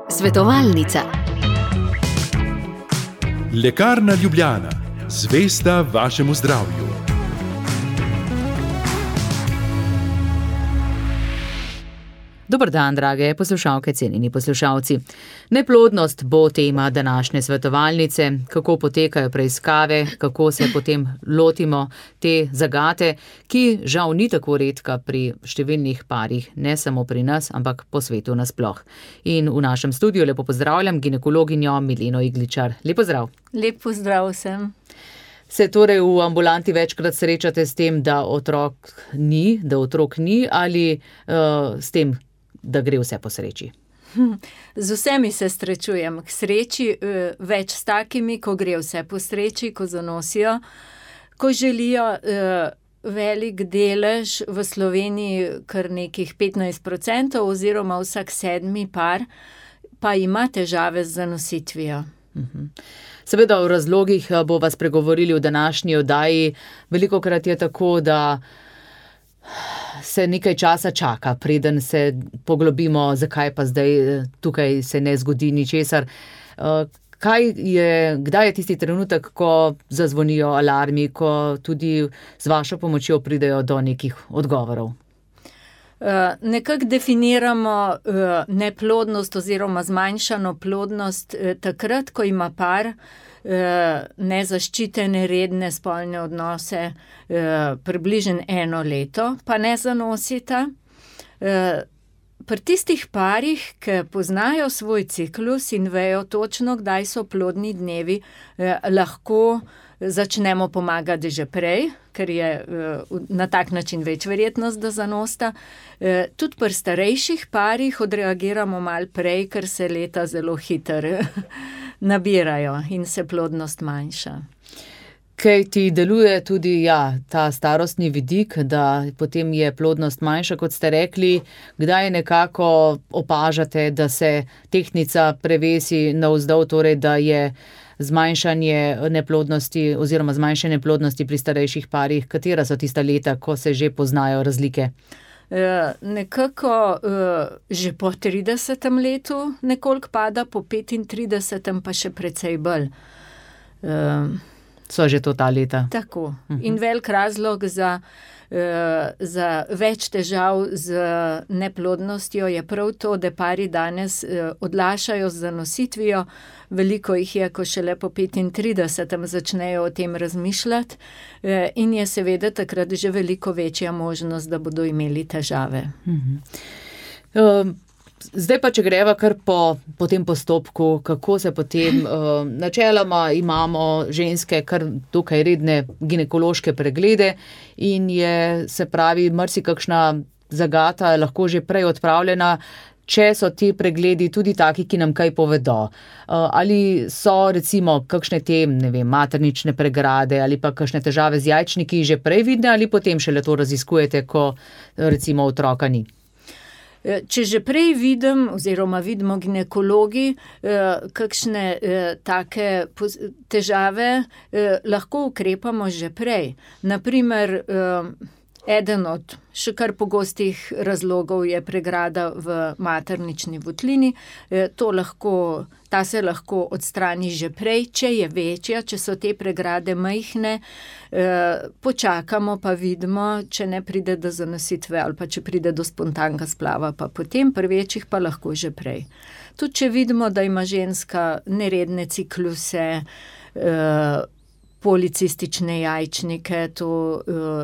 Svetovalnica. Lekarna Ljubljana, zvesta vašemu zdravju. Dober dan, drage poslušalke, cenjeni poslušalci. Neplodnost bo tema današnje svetovalnice, kako potekajo preiskave, kako se potem lotimo te zagate, ki žal ni tako redka pri številnih parih, ne samo pri nas, ampak po svetu nasploh. In v našem studiu lepo pozdravljam ginekologinjo Mileno Igličar. Lep pozdrav. Lep pozdrav vsem. Se torej v ambulanti večkrat srečate s tem, da otrok ni ali s tem, da gre vse po sreči? Z vsemi se srečujem. K sreči več s takimi, ko gre vse po sreči, ko zanosijo, ko želijo velik delež v Sloveniji, kar nekih 15% oziroma vsak 7. par, pa ima težave z zanositvijo. Seveda o razlogih bova spregovorili v današnji oddaji. Velikokrat je tako, da se nekaj časa čaka, preden se poglobimo, zakaj pa zdaj tukaj se ne zgodi ničesar. Kdaj je tisti trenutek, ko zazvonijo alarmi, ko tudi z vašo pomočjo pridejo do nekih odgovorov? Nekako definiramo neplodnost oziroma zmanjšano plodnost takrat, ko ima par nezaščitene redne spolne odnose približno 1 leto, pa ne zanosita. Pri tistih parih, ki poznajo svoj ciklus in vejo točno, kdaj so plodni dnevi, lahko začnemo pomagati že prej, ker je na tak način več verjetnost, da zanosta. Tudi pri starejših parih odreagiramo malo prej, ker se leta zelo hitro nabirajo in se plodnost manjša. Kaj ti deluje tudi ta starostni vidik, da potem je plodnost manjša, kot ste rekli, kdaj nekako opažate, da se tehtnica prevesi navzdol, torej da je zmanjšanje neplodnosti oziroma zmanjšanje plodnosti pri starejših parih? Katera so tista leta, ko se že poznajo razlike? Nekako že po 30. letu nekoliko pada, po 35. pa še precej bolj. So že to ta leta. Tako. In velik razlog za več težav z neplodnostjo je prav to, da pari danes odlašajo z zanositvijo. Veliko jih je, ko šele po 35. začnejo o tem razmišljati, in je seveda takrat že veliko večja možnost, da bodo imeli težave. Zdaj pa, če greva kar po tem postopku, kako se potem, načeloma imamo ženske kar dokaj redne ginekološke preglede in je, se pravi, marsikakšna zagata lahko že prej odpravljena, če so ti pregledi tudi taki, ki nam kaj povedo. Ali so recimo kakšne te, maternične pregrade ali pa kakšne težave z jajčniki že prej vidne ali potem šele to raziskujete, ko recimo otroka ni? Če že prej vidimo ginekologi, kakšne take težave, lahko ukrepamo že prej. Naprimer, eden od še kar pogostih razlogov je pregrada v maternični votlini. Ta se lahko odstrani že prej, če je večja, če so te pregrade majhne, počakamo pa vidimo, če ne pride do zanositve ali pa če pride do spontanega splava, pa potem pri večjih pa lahko že prej. Tudi če vidimo, da ima ženska neredne cikluse, policistične jajčnike, to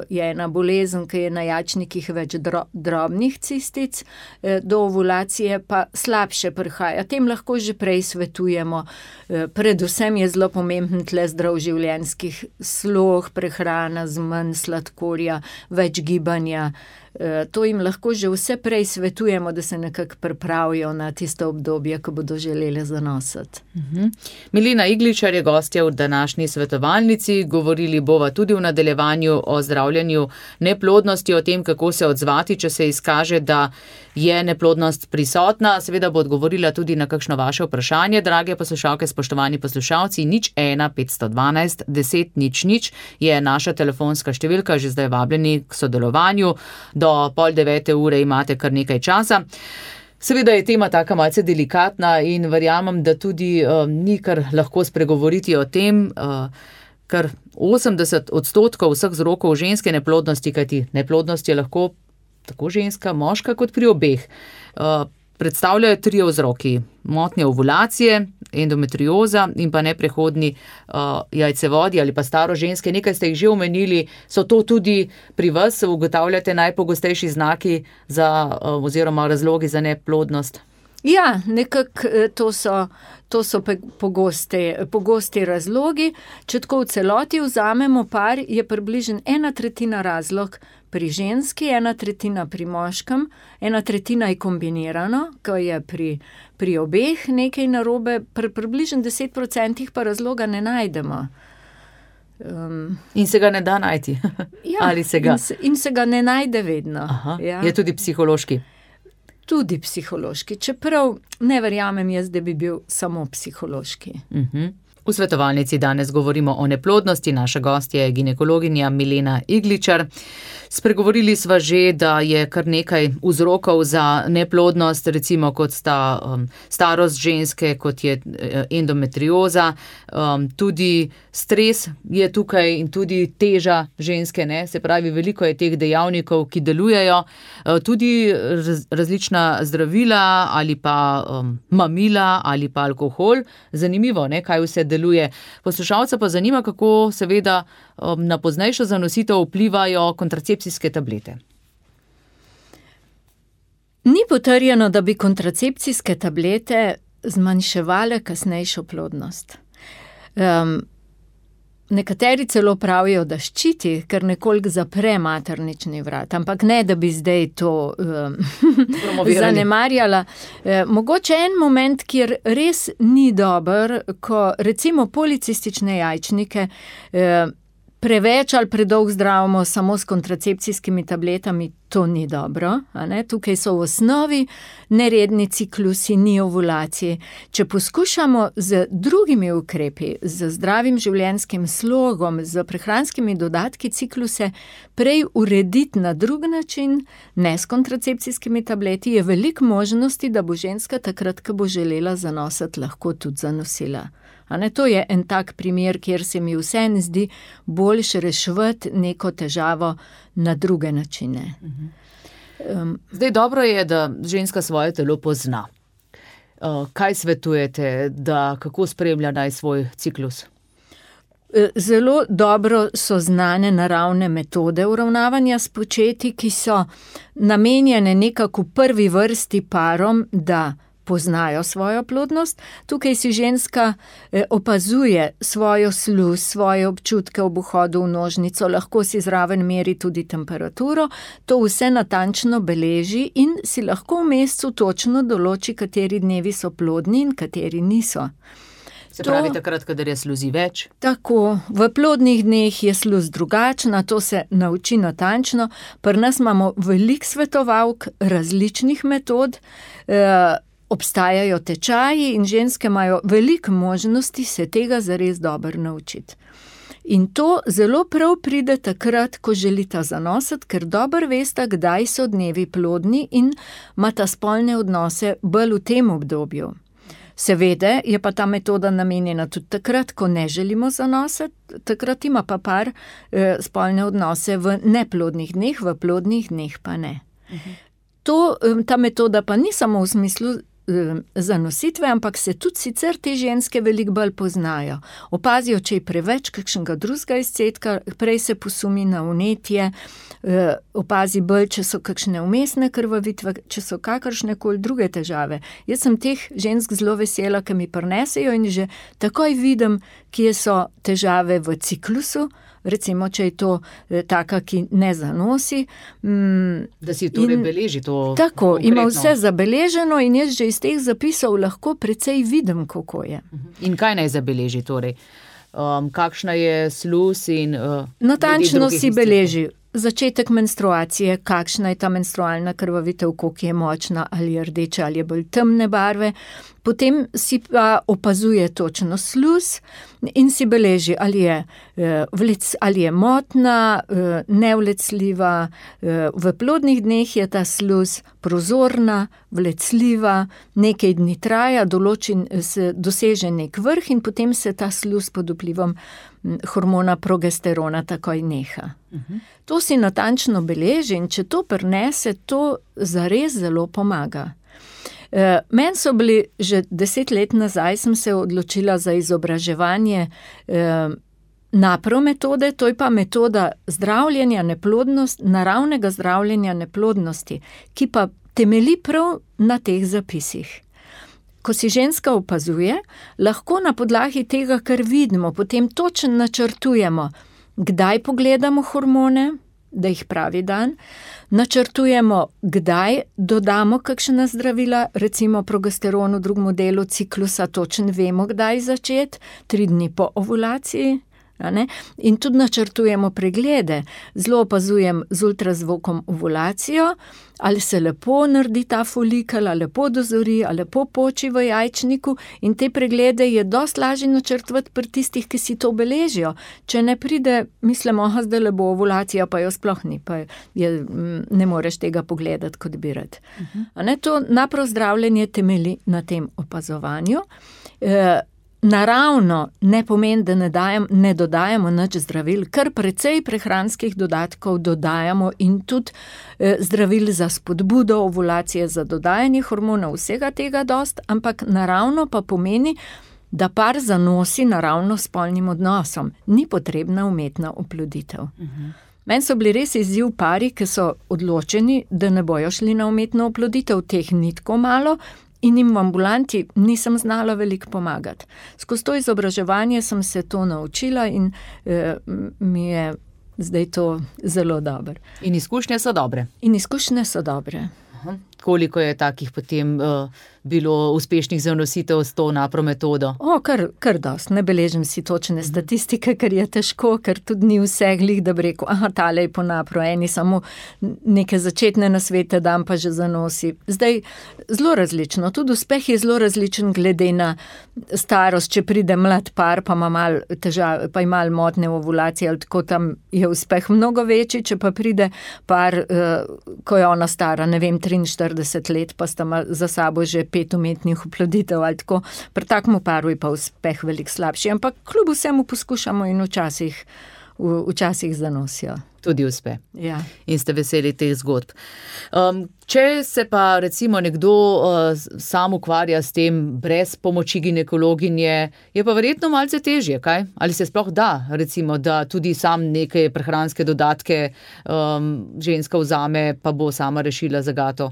je ena bolezen, ki je na jajčnikih več drobnih cistic, do ovulacije pa slabše prihaja. Tem lahko že prej svetujemo. Predvsem je zelo pomemben tle zdrav življenjski slog, prehrana z manj sladkorja, več gibanja. To jim lahko že vse prej svetujemo, da se nekako pripravijo na tisto obdobje, ko bodo želeli zanositi. Milena Igličar je gostja v današnji svetovalnici. Govorili bova tudi v nadaljevanju o zdravljenju neplodnosti, o tem, kako se odzvati, če se izkaže, da je neplodnost prisotna. Seveda bo odgovorila tudi na kakšno vaše vprašanje, drage poslušalke, spoštovani poslušalci. 01 512 10 00 je naša telefonska številka, že zdaj vabljeni k sodelovanju. Do 8:30 imate kar nekaj časa. Seveda je tema taka malce delikatna in verjamem, da tudi ni kar lahko spregovoriti o tem, ker 80% vseh vzrokov ženske neplodnosti, kajti neplodnost je lahko tako ženska, moška kot pri obeh, predstavljajo 3 vzroki. Motnje ovulacije, endometrioza in pa neprehodni jajcevodi ali pa staro ženske. Nekaj ste jih že omenili, so to tudi pri vas, ugotavljate najpogostejši znaki oziroma razlogi za neplodnost? Ja, nekako to so pogosti razlogi. Če tako v celoti vzamemo par, je približno 1/3 razlog pri ženski, 1/3 pri moškem, 1/3 je kombinirano, ko je pri obeh nekaj narobe, približno 10% pa razloga ne najdemo. In se ga ne da najti? Ja, ali se ga? In se ga ne najde vedno. Aha, ja. Je tudi psihološki? Tudi psihološki, čeprav ne verjamem jaz, da bi bil samo psihološki. V svetovalnici danes govorimo o neplodnosti, naša gostja je ginekologinja Milena Igličar. Spregovorili sva že, da je kar nekaj vzrokov za neplodnost, recimo kot sta starost ženske, kot je endometrioza, tudi stres je tukaj in tudi teža ženske, ne? Se pravi, veliko je teh dejavnikov, ki delujejo, tudi različna zdravila ali pa mamila ali pa alkohol. Zanimivo, ne? Kaj vse deluje. Poslušalca pa zanima, kako seveda na poznejšo zanositev vplivajo kontracepcijske tablete. Ni potrjeno, da bi kontracepcijske tablete zmanjševale kasnejšo plodnost. Nekateri celo pravijo, da ščiti, ker nekoliko zapre maternični vrat, ampak ne, da bi zdaj to zanemarjala. Mogoče en moment, kjer res ni dober, ko recimo policistične jajčnike preveč ali predolg zdravimo samo s kontracepcijskimi tabletami, to ni dobro. A ne? Tukaj so v osnovi neredni ciklusi, ni ovulacije. Če poskušamo z drugimi ukrepi, z zdravim življenjskim slogom, z prehranskimi dodatki cikluse prej urediti na drug način, ne s kontracepcijskimi tableti, je veliko možnosti, da bo ženska takrat, ko bo želela zanositi, lahko tudi zanosila. To je en tak primer, kjer se mi vseeno zdi boljše reševati neko težavo na druge načine. Zdaj dobro je, da ženska svoje telo pozna. Kaj svetujete, kako spremlja naj svoj ciklus? Zelo dobro so znane naravne metode uravnavanja s početji, ki so namenjene nekako v prvi vrsti parom, da poznajo svojo plodnost. Tukaj si ženska opazuje svojo sluz, svoje občutke ob vhodu v nožnico, lahko si zraven meri tudi temperaturo, to vse natančno beleži in si lahko v mesecu točno določi, kateri dnevi so plodni in kateri niso. Se pravi takrat, kadar je sluzi več? Tako, v plodnih dneh je sluz drugačna, to se nauči natančno. Pri nas imamo veliko svetovalk različnih metod, obstajajo tečaji in ženske imajo veliko možnosti se tega zares dobro naučiti. In to zelo prav pride takrat, ko želita zanositi, ker dobro vesta, kdaj so dnevi plodni in imata spolne odnose bolj v tem obdobju. Seveda je pa ta metoda namenjena tudi takrat, ko ne želimo zanositi, takrat ima pa par spolne odnose v neplodnih dneh, v plodnih dneh pa ne. Ta metoda pa ni samo v smislu zanositve, ampak se tudi sicer te ženske veliko bolj poznajo. Opazijo, če je preveč kakšnega drugega izcedka, prej se posumi na vnetje, opazi bolj, če so kakšne vmesne krvavitve, če so kakršnekoli druge težave. Jaz sem teh žensk zelo vesela, ki mi prinesejo in že takoj vidim, kje so težave v ciklusu, recimo, če je to taka, ki ne zanosi. Da si torej beleži to tako, konkretno. Ima vse zabeleženo in jaz že iz teh zapisov lahko precej vidim, kako je. In kaj naj zabeleži torej? Kakšna je sluz in... Natančno si beleži začetek menstruacije, kakšna je ta menstrualna krvavitev, koliko je močna, ali je rdeča, ali je bolj temne barve. Potem si pa opazuje točno sluz in si beleži, ali je motna, nevlecljiva, v plodnih dneh je ta sluz prozorna, vlecljiva, nekaj dni traja, se doseže nek vrh in potem se ta sluz pod vplivom hormona progesterona takoj neha. To si natančno beleži in če to prinese, to zares zelo pomaga. Meni so bili že 10 let nazaj, sem se odločila za izobraževanje NAPRO metode, to je pa metoda zdravljenja neplodnosti, naravnega zdravljenja neplodnosti, ki pa temelji prav na teh zapisih. Ko si ženska opazuje, lahko na podlagi tega, kar vidimo, potem točno načrtujemo, kdaj pogledamo hormone, da jih pravi dan, načrtujemo, kdaj dodamo kakšna zdravila, recimo progesteron v drugem delu ciklusa, točno vemo, kdaj začeti, 3 dni po ovulaciji. In tudi načrtujemo preglede. Zelo opazujem z ultrazvokom ovulacijo, ali se lepo naredi ta folikel, ali lepo dozori, ali lepo poči v jajčniku, in te preglede je dosti lažje načrtovati pri tistih, ki si to beležijo. Če ne pride, mislimo, zdaj le bo ovulacija, pa jo sploh ni, pa ne moreš tega pogledati, kot bi rad. To NAPRO zdravljenje temelji na tem opazovanju. Naravno ne pomeni, da ne dodajamo nič zdravil, kar precej prehranskih dodatkov dodajamo in tudi zdravil za spodbudo ovulacije, za dodajanje hormonov, vsega tega dost, ampak naravno pa pomeni, da par zanosi naravno spolnim odnosom. Ni potrebna umetna oploditev. Meni so bili res izziv pari, ki so odločeni, da ne bojo šli na umetno oploditev, teh ni tako malo, in jim v ambulanti nisem znala veliko pomagati. Skozi to izobraževanje sem se to naučila in mi je zdaj to zelo dobro. In izkušnje so dobre? In izkušnje so dobre. Koliko je takih potem bilo uspešnih zanositev s to NAPRO metodo? Kar dost. Ne beležim si točne statistike, ker je težko, ker tudi ni vse glih, da bi rekel, tale je po NAPRO, eni samo neke začetne nasvete dam, pa že zanosi. Zdaj, zelo različno, tudi uspeh je zelo različen glede na starost, če pride mlad par, pa ima malo težav, pa ima malo motne ovulacije, ali tako, tam je uspeh mnogo večji, če pa pride par, ko je ona stara, ne vem, 43 let, pa sta za sabo že 5 umetnih oploditev ali tako. Pri takmu paru je pa uspeh veliko slabši, ampak kljub vsemu poskušamo in včasih zanosijo. Tudi uspe. Ja. In ste veseli teh zgodb. Če se pa recimo nekdo sam ukvarja s tem brez pomoči ginekologinje, je pa verjetno malce težje, kaj? Ali se sploh da, recimo, da tudi sam neke prehranske dodatke ženska vzame, pa bo sama rešila zagato?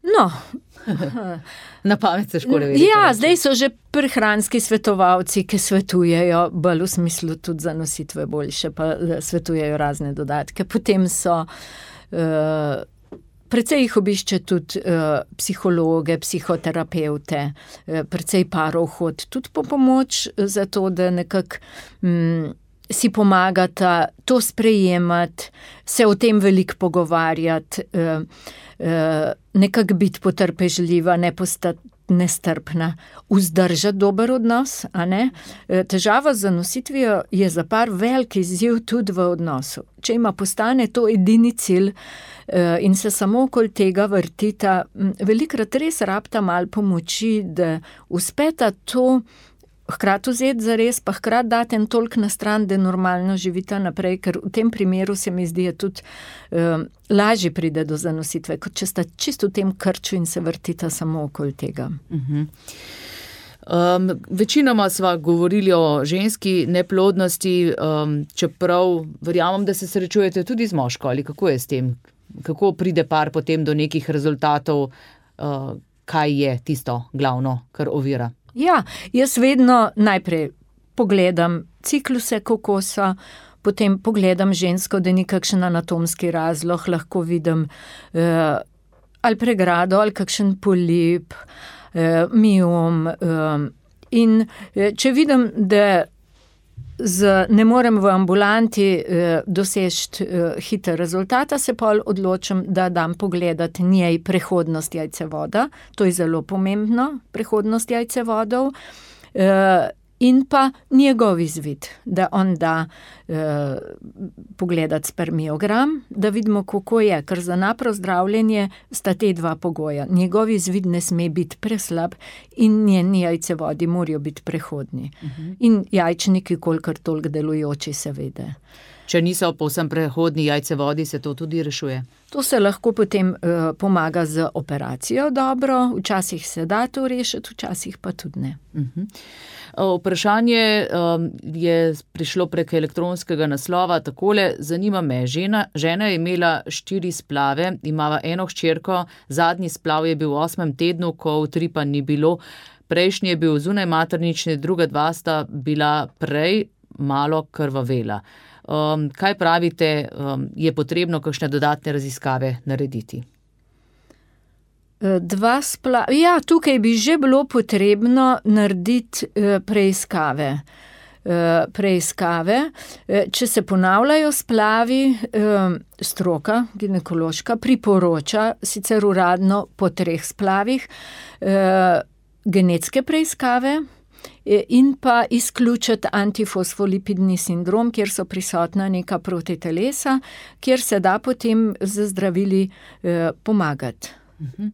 No. Na pamet težko reči. Ja, zdaj so že prehranski svetovalci, ki svetujejo, bolj v smislu tudi zanositve boljše, pa svetujejo razne dodatke. Potem so, precej jih obišče tudi psihologe, psihoterapevte, precej parov hod, tudi po pomoč za to, da nekako si pomagata to sprejemati, se o tem veliko pogovarjati, nekako biti potrpežljiva, ne postati nestrpna, vzdržati dober odnos, a ne? Težava z zanositvijo je za par velik izziv tudi v odnosu. Če ima postane to edini cilj in se samo okoli tega vrtita, velikokrat res rabita malo pomoči, da uspeta to hkrati vzeti zares, pa hkrati dati en toliko na stran, da normalno živita naprej, ker v tem primeru se mi zdi, tudi lažje pride do zanositve, kot če sta čisto v tem krču in se vrtita samo okoli tega. Večinoma sva govorili o ženski neplodnosti, čeprav verjamem, da se srečujete tudi z moško, ali kako je s tem? Kako pride par potem do nekih rezultatov, kaj je tisto glavno, kar ovira? Ja, jaz vedno najprej pogledam cikluse kokosa, potem pogledam žensko, da ni kakšen anatomski razlog, lahko vidim ali pregrado, ali kakšen polip, miom. In če vidim, da ne morem v ambulanti doseči hiter rezultata, se pol odločim, da dam pogledati njej prehodnost jajcevoda, to je zelo pomembno, prehodnost jajcevodov, in pa njegov izvid, da on da pogledati spermiogram, da vidimo, kako je, ker za napro zdravljenje sta te dva pogoja. Njegov izvid ne sme biti preslab in njeni jajcevodi morajo biti prehodni. In jajčniki kolikor toliko delujoči seveda. Če niso povsem prehodni jajcevodi, se to tudi rešuje? To se lahko potem pomaga z operacijo dobro, včasih se da to rešiti, včasih pa tudi ne. Vprašanje je prišlo prek elektronskega naslova takole, zanima me, žena je imela 4 splave, imava eno hčerko, zadnji splav je bil v 8. tednu, ko utripa ni bilo, prejšnji je bil zunaj maternični, druga 2 sta bila prej malo krvavela. Kaj pravite, je potrebno kakšne dodatne raziskave narediti? 2 splava, ja, tukaj bi že bilo potrebno narediti preiskave. Če se ponavljajo splavi, stroka, ginekološka, priporoča sicer uradno po 3 splavih genetske preiskave, in pa izključiti antifosfolipidni sindrom, kjer so prisotna neka protitelesa, kjer se da potem z zdravili pomagati.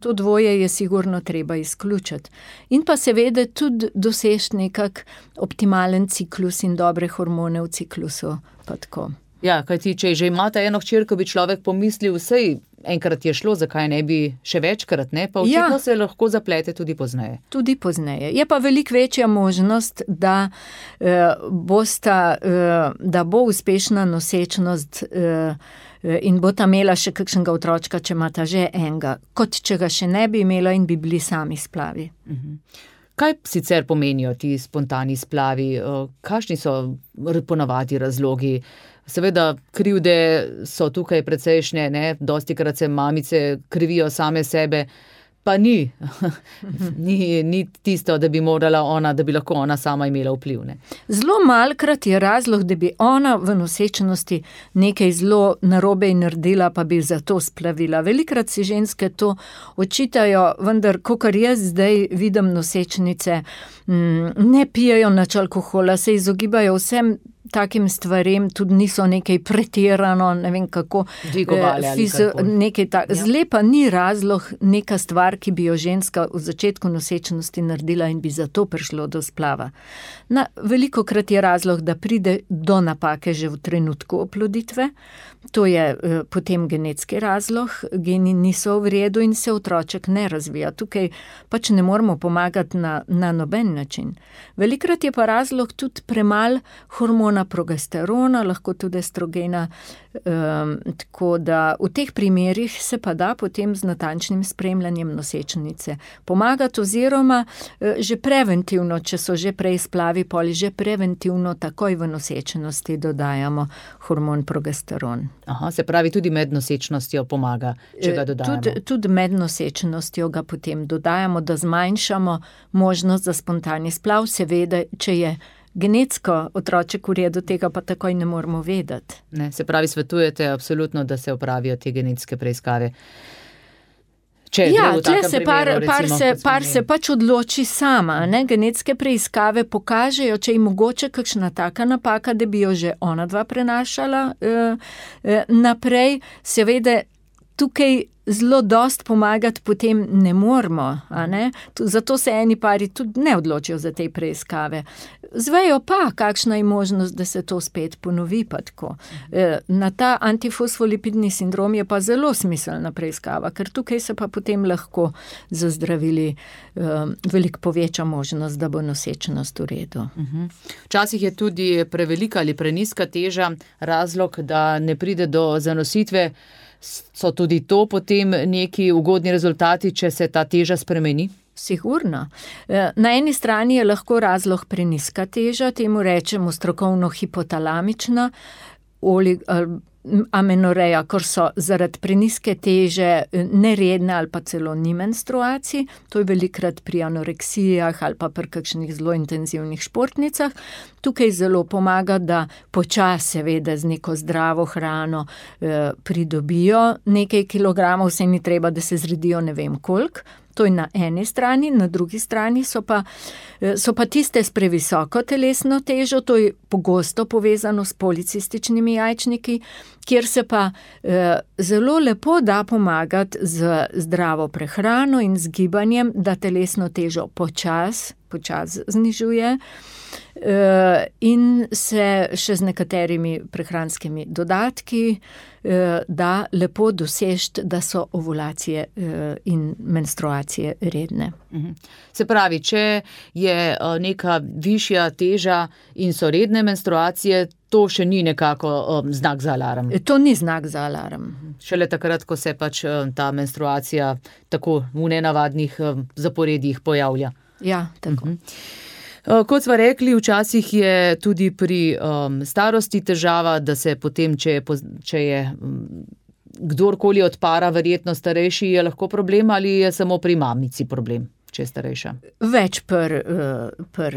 To dvoje je sigurno treba izključiti. In pa seveda tudi doseči nekak optimalen ciklus in dobre hormone v ciklusu, pa tako. Ja, kajti, če že imate eno hčerko, bi človek pomislil, vsej enkrat je šlo, zakaj ne bi še večkrat, ne? Pa očitno se lahko zaplete tudi pozneje. Tudi pozneje. Je pa veliko večja možnost, da bo uspešna nosečnost in bo ta imela še kakšnega otročka, če imata že enega, kot če ga še ne bi imela in bi bili sami splavi. Kaj sicer pomenijo ti spontani splavi? Kakšni so ponavadi razlogi? Seveda krivde so tukaj precejšnje, ne? Dostikrat se mamice krivijo same sebe, pa ni tisto, da bi morala ona, da bi lahko ona sama imela vpliv, ne? Zelo malkrat je razlog, da bi ona v nosečnosti nekaj zelo narobe naredila, pa bi zato splavila. Velikrat si ženske to očitajo, vendar, kakor jaz zdaj vidim nosečnice, ne pijejo nič alkohola, se izogibajo vsem takim stvarem, tudi niso nekaj pretirano, ne vem kako, zle pa ni razlog neka stvar, ki bi jo ženska v začetku nosečnosti naredila in bi zato prišlo do splava. Velikokrat je razlog, da pride do napake že v trenutku oploditve, to je potem genetski razlog, geni niso v redu in se otroček ne razvija. Tukaj pač ne moramo pomagati na noben način. Velikokrat je pa razlog tudi premalo hormona progesterona, lahko tudi estrogena, tako da v teh primerih se pa da potem z natančnim spremljanjem nosečnice pomagati oziroma že preventivno, če so že prej splavi, poli že preventivno takoj v nosečnosti dodajamo hormon progesteron. Aha, se pravi tudi med nosečnostjo pomaga, če ga dodajamo. Tudi med nosečnostjo ga potem dodajamo, da zmanjšamo možnost za spontani splav, seveda, če je genetsko otroček v redu, tega pa takoj ne moramo vedeti. Ne, se pravi, svetujete absolutno, da se opravijo te genetske preiskave. Tle se par se pač odloči sama, ne? Genetske preiskave pokažejo, če je mogoče kakšna taka napaka, da bi jo že ona dva prenašala naprej. Seveda tukaj zelo dost pomagati potem ne moramo, a ne? Zato se eni pari tudi ne odločijo za te preiskave. Zvejo pa, kakšna je možnost, da se to spet ponovi pa tako. Na ta antifosfolipidni sindrom je pa zelo smiselna preiskava, ker tukaj se pa potem lahko z zdravili veliko poveča možnost, da bo nosečnost v redu. Včasih je tudi prevelika ali prenizka teža razlog, da ne pride do zanositve. So tudi to potem neki ugodni rezultati, če se ta teža spremeni? Sigurno. Na eni strani je lahko razlog prenizka teža, temu rečemo strokovno hipotalamična amenoreja, ker so zaradi preniske teže neredne ali pa celo ni menstruacij, to je velikrat pri anoreksijah ali pa pri kakšnih zelo intenzivnih športnicah. Tukaj zelo pomaga, da počasi seveda z neko zdravo hrano pridobijo nekaj kilogramov, saj ni treba, da se zredijo ne vem koliko. To je na eni strani, na drugi strani so pa tiste s previsoko telesno težo, to je pogosto povezano s policističnimi jajčniki, kjer se pa zelo lepo da pomagati z zdravo prehrano in z gibanjem, da telesno težo počasi znižuje in se še z nekaterimi prehranskimi dodatki da lepo dosežiti, da so ovulacije in menstruacije redne. Se pravi, če je neka višja teža in so redne menstruacije, to še ni nekako znak za alarm? To ni znak za alarm. Šele takrat, ko se pač ta menstruacija tako v nenavadnih zaporedjih pojavlja. Ja, tako. Kot sva rekli, včasih je tudi pri starosti težava, da se potem, če je kdorkoli od para verjetno starejši, je lahko problem ali je samo pri mamici problem, če je starejša? Več pri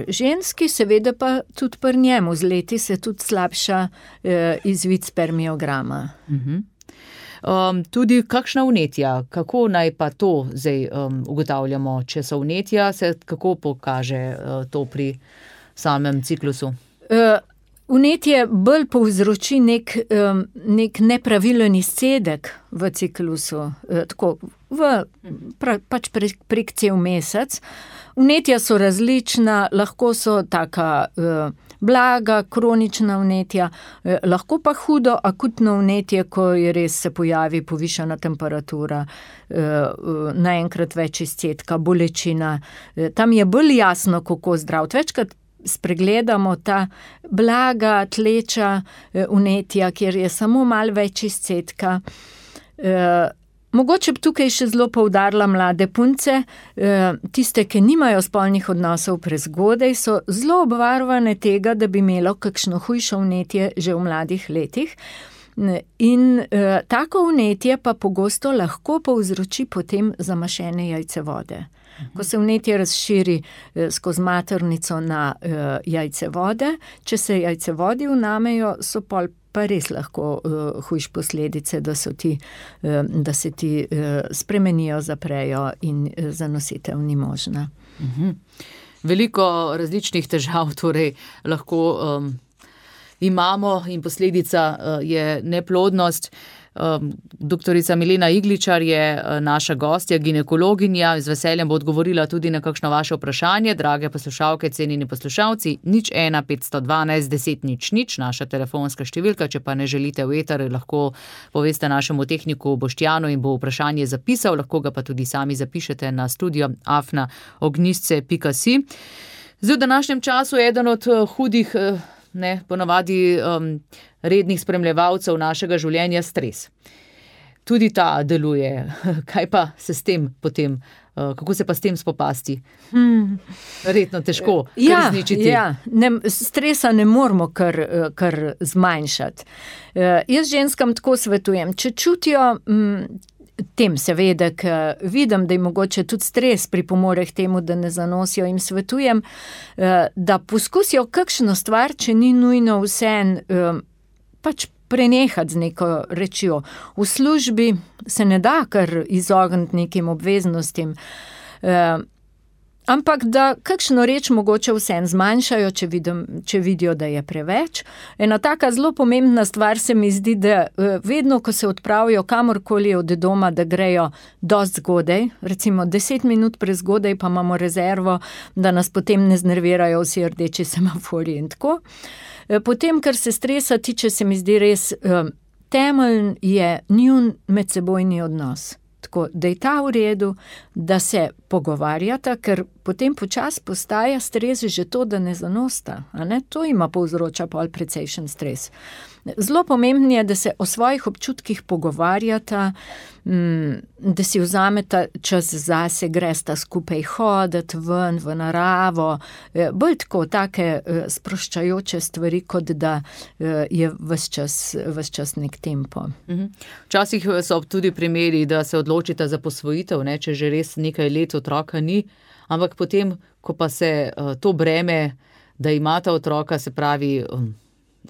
ženski, seveda pa tudi pri njemu. Z leti se tudi slabša izvid spermiograma. Tudi kakšna vnetja, kako naj pa to zdaj ugotavljamo, če so vnetja, se kako pokaže to pri samem ciklusu? Vnetje bolj povzroči nek nepravilen izcedek v ciklusu, tako pač prek cel mesec. Vnetja so različna, lahko so taka blaga, kronična vnetja, lahko pa hudo akutno vnetje, ko je res se pojavi povišana temperatura, naenkrat več izcedka, bolečina. Tam je bolj jasno, kako zdraviti. Večkrat spregledamo ta blaga, tleča vnetja, kjer je samo malo več izcedka. Mogoče bi tukaj še zelo poudarila mlade punce, tiste, ki nimajo spolnih odnosov prezgodaj, so zelo obvarovane tega, da bi imelo kakšno hujšo vnetje že v mladih letih. In tako vnetje pa pogosto lahko povzroči potem zamašene jajcevode. Ko se vnetje razširi skozi maternico na jajcevode, če se jajcevodi vnamejo, so pa res lahko hujš posledice, da se ti spremenijo, zaprejo in zanositev ni možna. Veliko različnih težav torej lahko imamo in posledica je neplodnost. Doktorica Milena Igličar je naša gostja, ginekologinja, z veseljem bo odgovorila tudi na kakšno vaše vprašanje. Drage poslušalke, cenjeni poslušalci, 01 512 10 00, naša telefonska številka, če pa ne želite v eter, lahko poveste našemu tehniku Boštjanu in bo vprašanje zapisal, lahko ga pa tudi sami zapišete na studio@ognjisce.si. Zdaj v današnjem času eden od hudih ponavadi rednih spremljevalcev našega življenja stres. Tudi ta deluje. Kaj pa se s tem potem, kako se pa s tem spopasti? Verjetno težko izničiti. Stresa ne moramo kar zmanjšati. Jaz ženskam tako svetujem, če čutijo tem seveda, ker vidim, da je mogoče tudi stres pripomore k temu, da ne zanosijo, jim svetujem, da poskusijo kakšno stvar, če ni nujno vseeno pač prenehati z neko rečjo. V službi se ne da kar izogniti nekim obveznostim, ampak da kakšno reč mogoče vseeno zmanjšajo, če vidijo, da je preveč. Ena taka zelo pomembna stvar se mi zdi, da vedno, ko se odpravijo kamorkoli od doma, da grejo dosti zgodaj, recimo 10 minut prezgodaj, pa imamo rezervo, da nas potem ne znervirajo vsi rdeči semaforji in tako. Potem, kar se stresa tiče, se mi zdi res temelj je njun medsebojni odnos. Tako, da je ta v redu, da se pogovarjata, ker potem počasi postaja stres že to, da ne zanosta. A ne? To ima povzroča pol precejšen stres. zelo pomembno je, da se o svojih občutkih pogovarjata, da si vzameta čas zase, gresta skupaj hoditi ven, v naravo, bolj tako take sproščajoče stvari, kot da je ves čas nek tempo. Včasih so tudi primeri, da se odločita za posvojitev, ne, če že res nekaj let otroka ni, ampak potem, ko pa se to breme, da imata otroka, se pravi,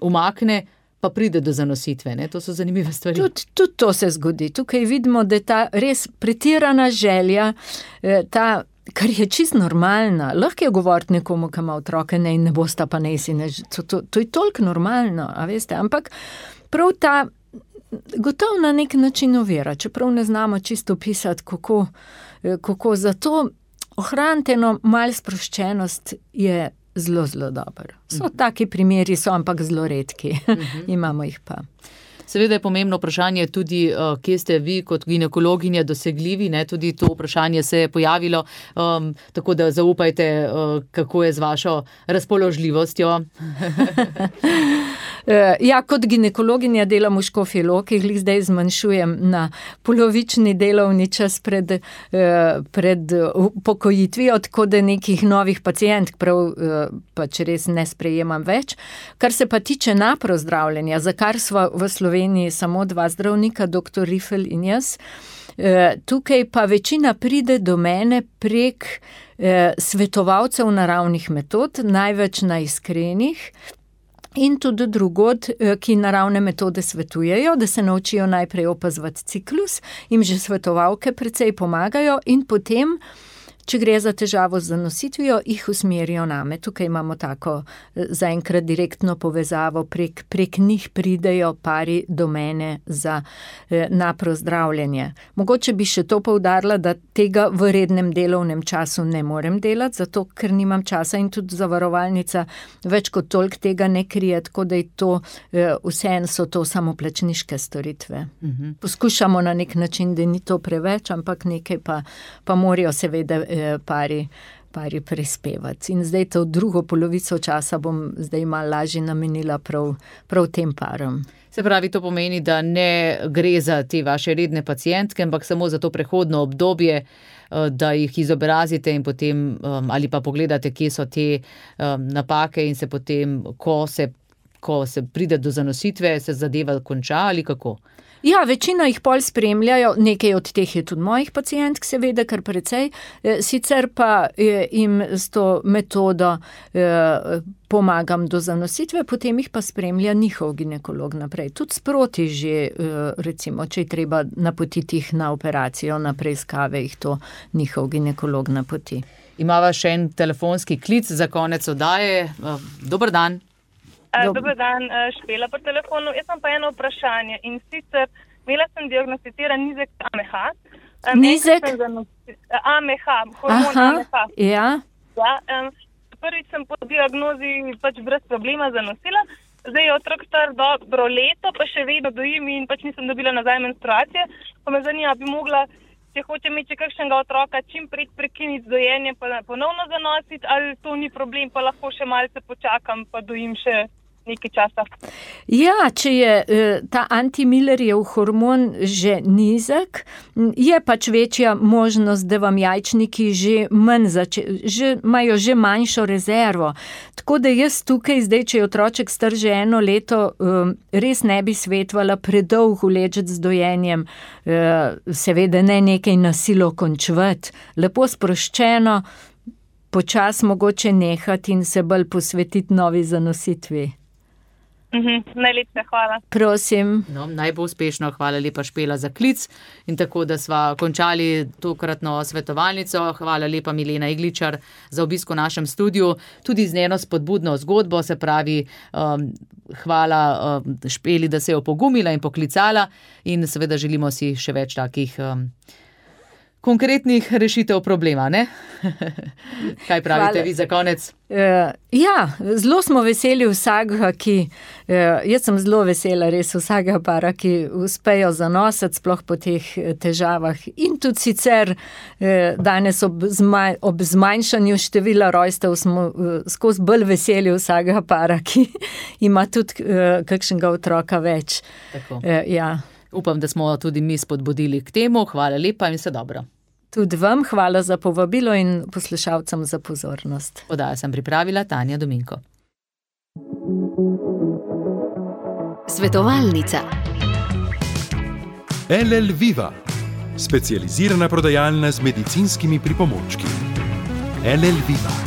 umakne, pa pride do zanositve, ne? To so zanimive stvari. Tudi to se zgodi. Tukaj vidimo, da je ta res pretirana želja, kar je čisto normalna. Lahko je govoriti nekomu, ki ima otroke, ne, in ne bosta pa nesi. To je toliko normalno, a veste. Ampak prav ta gotovo na nek način ovira, čeprav ne znamo čisto opisati, kako zato ohraniti eno malo sproščenost je zelo, zelo dobro. So taki primeri, so ampak zelo redki. Imamo jih pa. Seveda je pomembno vprašanje tudi, kje ste vi kot ginekologinja dosegljivi, ne? Tudi to vprašanje se je pojavilo, tako da zaupajte, kako je z vašo razpoložljivostjo. Ja, kot ginekologinja delam v Škofji Loki, glih zdaj zmanjšujem na polovični delovni čas pred upokojitvijo, tako da nekih novih pacientk pač res ne sprejemam več. Kar se pa tiče naprozdravljenja, za kar sva v Sloveniji samo 2 zdravnika, dr. Rifel in jaz, tukaj pa večina pride do mene prek svetovalcev naravnih metod, največ na Iskrenih, in tudi drugod, ki naravne metode svetujejo, da se naučijo najprej opazovati ciklus, jim že svetovalke precej pomagajo in potem, če gre za težavo z zanositvijo, jih usmerijo name. Tukaj imamo tako zaenkrat direktno povezavo, prek njih pridejo pari do mene za naprozdravljenje. Mogoče bi še to poudarila, da tega v rednem delovnem času ne morem delati, zato ker nimam časa in tudi zavarovalnica več kot toliko tega ne krije, tako da je to, vseeno so to samoplačniške storitve. Poskušamo na nek način, da ni to preveč, ampak nekaj pa morajo seveda pari prispevati. In zdaj to drugo polovico časa bom zdaj malo lažje namenila prav tem parom. Se pravi, to pomeni, da ne gre za te vaše redne pacientke, ampak samo za to prehodno obdobje, da jih izobrazite in potem ali pa pogledate, kje so te napake in se potem, ko se pride do zanositve, se zadeva konča ali kako? Ja, večina jih pol spremljajo, nekaj od teh je tudi mojih pacientk, seveda, kar precej, sicer pa jim s to metodo pomagam do zanositve, potem jih pa spremlja njihov ginekolog naprej. Tudi sproti že, recimo, če je treba napotiti jih na operacijo, na preiskave, jih to njihov ginekolog napoti. Imava še en telefonski klic za konec oddaje. Dober dan. Dober dan, Špela po telefonu. Jaz sem pa eno vprašanje in sicer imela sem diagnosticiran nizek AMH. Nizek? AMH, hormon AMH. Ja. Prvič sem po diagnozi pač brez problema zanosila. Zdaj je otrok star dobro leto, pa še vedno dojim in pač nisem dobila nazaj menstruacije. Pa me zanima, bi mogla, če hoče imeti kakšnega otroka, čim prej prekiniti dojenje, pa ponovno zanositi, ali to ni problem, pa lahko še malce počakam, pa dojim še nekaj časa. Ja, če je ta antimillerjev hormon že nizek, je pač večja možnost, da vam jajčniki imajo že manjšo rezervo. Tako da jaz tukaj zdaj, če je otroček star že 1 leto, res ne bi svetovala predolgo ležati z dojenjem, seveda ne nekaj na silo končvati, lepo sproščeno, počas mogoče nehati in se bolj posvetiti novi zanositvi. Najlepša hvala. Prosim. No, najbolj uspešno, hvala lepa Špela za klic in tako, da sva končali tokratno svetovalnico. Hvala lepa Milena Igličar za obisk v našem studiu, tudi z njeno spodbudno zgodbo, se pravi, hvala Špeli, da se je opogumila in poklicala in seveda želimo si še več takih konkretnih rešitev problema, ne? Kaj pravite vi za konec? Ja, zelo smo veseli vsakega, jaz sem zelo vesela res vsakega para, ki uspejo zanositi sploh po teh težavah. In tudi sicer danes ob zmanjšanju števila rojstev smo skozi bolj veseli vsakega para, ki ima tudi kakšnega otroka več. Tako. Ja. Upam, da smo tudi mi spodbudili k temu. Hvala lepa in vse dobro. Tudi vam hvala za povabilo in poslušalcem za pozornost. Oddajo sem pripravila Tanja Dominko. Svetovalnica. LL Viva, specializirana prodajalna z medicinskimi pripomočki. LL Viva.